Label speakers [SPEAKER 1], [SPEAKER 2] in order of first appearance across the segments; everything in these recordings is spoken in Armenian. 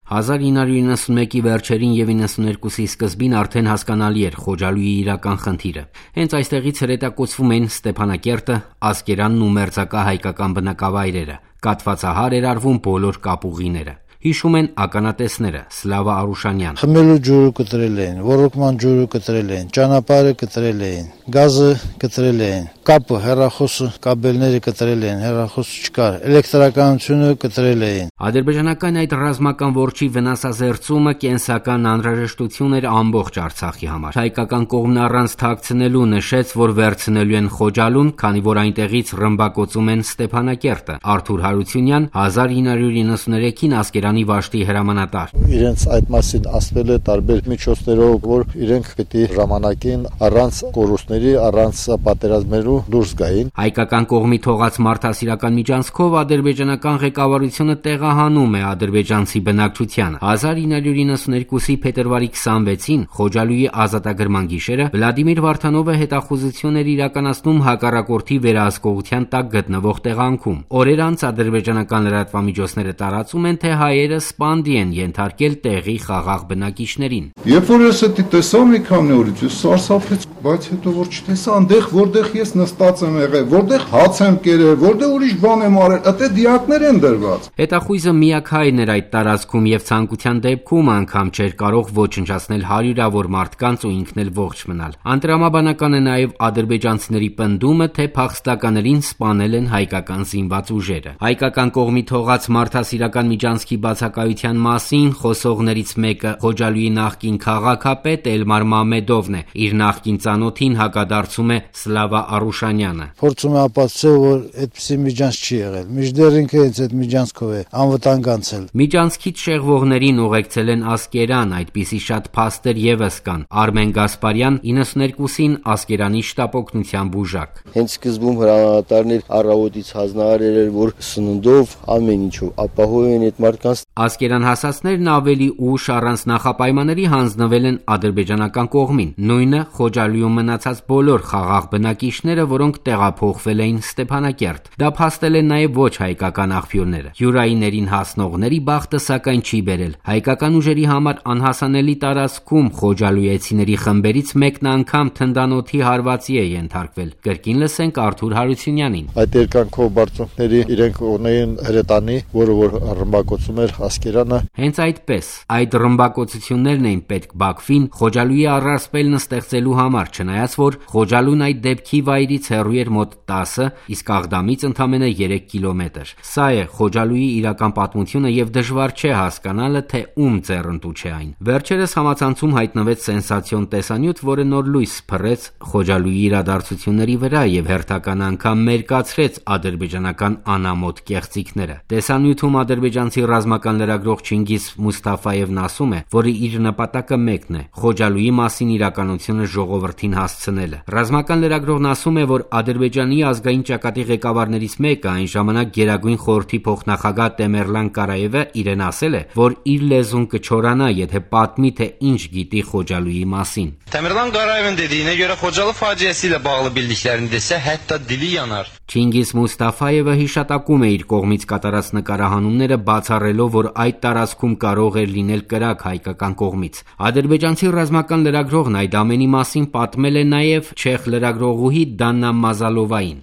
[SPEAKER 1] 1991-ի վերջերին եւ 92-ի սկզբին արդեն հասկանալի էր Խոջալույի իրական խնդիրը։ Հենց այստեղից հրետակոծվում էին Ստեփանակերտը, Ասկերանն ու մերձակա հայկական բնակավայրերը։ Կաթվածահար էր արվում բոլոր կապուղիները։ Հիշում են ականատեսները Սլավա Արուշանյան։
[SPEAKER 2] Խմելու ջուրը կտրել էին, ոռոգման ջուրը կտրել էին, ճանապարհը կտրել էին, գազը կտրել էին, կապը, հեռախոսը, կաբելները կտրել էին, հեռախոսը չկար, էլեկտրականությունը կտրել էին։
[SPEAKER 1] Ադրբեջանական այդ ռազմական որջի վնասազերծումը կենսական անհրաժեշտություն էր ամբողջ Արցախի համար։ Հայկական կողմն առանց թաքցնելու նշեց, որ վերցնելու են Խոջալուն, քանի որ այնտեղից ռմբակոծում են Ստեփանակերտը։ Արթուր Հարությունյան 1993-ին Ասկերանի Վաշտի հրամանատար։
[SPEAKER 3] Իրենց այդ մասին ասվել է տարբեր միջոցներով, որ իրենք պիտի ժամանակին առանց կորուստների, առանց պատերազմելու դուրս գային։
[SPEAKER 1] Հայկական կողմի թողած մարդասիրական միջանցքով ադրբեջանական ղեկավարությունը տեղահանում է ադրբեջանցի բնակչությանը։ 1992-ի փետրվարի 26-ին Խոջալույի ազատագրման գիշերը Վլադիմիր Վարդանովը հետախուզություն էր իրականացնում հակառակորդի վերահսկողության տակ գտնվող տեղանքում։ Օրեր անց ադրբեջանական լրատվամիջոցները տարածում են, թե հայերը սպանդի են ենթարկել տեղի խաղաղ բնակիչներին։
[SPEAKER 4] Երբ որ ես դա տեսա մի քանի օրից, ես սարսափեց, բայց հետո որ չտեսա, այնտեղ որտեղ ես նստած եմ եղել, որտեղ հաց եմ կերել, որտեղ ուրիշ բան եմ արել, այդտեղ դիակներ են դրված։
[SPEAKER 1] Հետախույզը միակ հայրն էր այդ տարածքում եւ ցանկության դեպքում անգամ չէր կարող ոչնչացնել հարյուրավոր մարդկանց ու ինքն էլ ողջ մնալ։ Անտրամաբանական է նաեւ ադրբեջանցիների պնդումը, թե փախստականերին սպանել են հայկական զինված ուժերը։ Հայկական կողմի թողած մարդասիրական միջանցքի բացակայության մասին խոսողներից մեկը Խոջալույի նախկին քաղաքապետ Էլմար Մամեդովն է։ Իր նախկին ծանոթին հակադարձում է Սլավա Արուշանյանը։
[SPEAKER 2] Փորձում է ապացուցել, որ այդպիսի միջանց չի եղել։ Մինչդեռ ինքը հենց այդ միջանցքով է անվտանգ անցել։
[SPEAKER 1] Միջանցքից շեղվողներին ուղեկցել են Ասկերան, այդպիսի շատ փաստեր եւս կան։ Արմեն Գասպարյան 92-ին Ասկերանի շտապօգնության բուժակ։
[SPEAKER 3] Հենց սկզբում հրամանատարներ առավոտից հանձնարարել էր, որ սննդով ամեն ինչով ապահով են այդ մարդկանց։
[SPEAKER 1] Ասկերան հասածներն ավելի ուշ առանց նախապայմանների հանձնվել են ադրբեջանական կողմին։ Նույնը Խոջալույում մնացած բոլոր խաղաղ բնակիչները, որոնք տեղափոխվել էին Ստեփանակերտ։ Դա փաստել են նաև ոչ հայկական աղբյուրները։ Յուրայիներին հասնողների բախտը սակայն չի բերել։ Հայկական ուժերի համար անհասանելի տարածքում խոջալույեցիների խմբերից մեկն անգամ թնդանոթի հարվածի է ենթարկվել։ Կրկին լսենք Արթուր Հարությունյանին։
[SPEAKER 3] Այդ երկանքով բարձունքների իրենք ունեին հրետանի, որը որ ռմբակոծում էր Ասկերանը։
[SPEAKER 1] Հենց այդպես այդ ռմբակոծություններն էին պետք Բաքվին Խոջալույի առասպելն ստեղծելու համար, չնայած որ Խոջալուն այդ դեպքի վայրից հեռու էր մոտ 10, իսկ Աղդամից ընդամենը 3 կիլոմետր։ Սա է Խոջալույի իրական պատմությունը եւ դժվար չէ հասկանալը, թե ում ձեռնտու չէ այն։ Վերջերս համացանցում հայտնվեց սենսացիոն տեսանյութ, որը նոր լույս փռեց Խոջալույի իրադարձությունների վրա եւ հերթական անգամ մերկացրեց ադրբեջանական անամոթ կեղծիքները։ Տեսանյութում ադրբեջանցի ռազմական լրագրող Չինգիզ Մուստաֆայևն ասում է, որ իր նպատակը մեկն է՝ Խոջալույի մասին իրականությունը ժողովրդին հասցնելը։ Ռազմական լրագրողն ասում է, որ Ադրբեջանի ազգային ճակատի ղեկավարներից մեկը, այն ժամանակ Գերագույն խորհրդի փոխնախագահ Տեմերլան Կարաևը իրեն ասել է, որ իր լեզուն կչորանա, եթե պատմի, թե ինչ գիտի Խոջալույի մասին։
[SPEAKER 5] Տեմերլան Կարաևın dediyine göre Xocalı faciəsiyle bağlı bildiklərini desə, hətta dili yanar։
[SPEAKER 1] Չինգիզ Մուստաֆայևը հիշատակում է իր կողմից կատարած նկարահանումները, բացառելով, որ այդ տարածքում կարող էր լինել կրակ հայկական կողմից։ Ադրբեջանցի ռազմական լրագրողն այդ ամենի մասին պատմել է նաև չեխ լրագրողուհի Դաննա Մազալովային։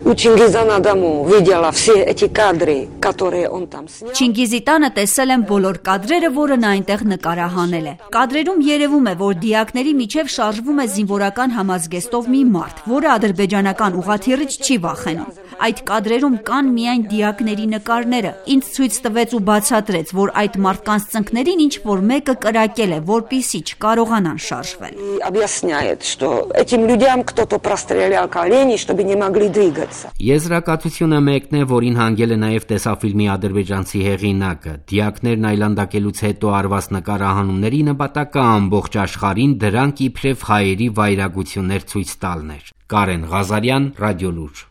[SPEAKER 6] Չինգիզի տանը տեսել եմ բոլոր կադրերը, որը նա այնտեղ նկարահանել է։ Կադրերում երևում է, որ դիակների միջև շարժվում է զինվորական համազգեստով մի մարդ, որը ադրբեջանական ուղղաթիռից չի վախենում։ Այդ կադրերում կան միայն դիակների նկարները։ Ինձ ցույց տվեց ու բացատրեց, որ այդ մարդկանց ծնկներին ինչ որ մեկը կրակել է, որպեսզի չկարողանան շարժվել։
[SPEAKER 1] Եզրակացությունը մեկն է, որին հանգել է նաև տեսաֆիլմի ադրբեջանցի հեղինակը։ Դիակներն այլանդակելուց հետո արված նկարահանումների նպատակը ամբողջ աշխարհին դրանք իբրև հայերի վայրագություններ ցույց տալն էր։ Կարեն Ղազարյան, Ռադիոլուր։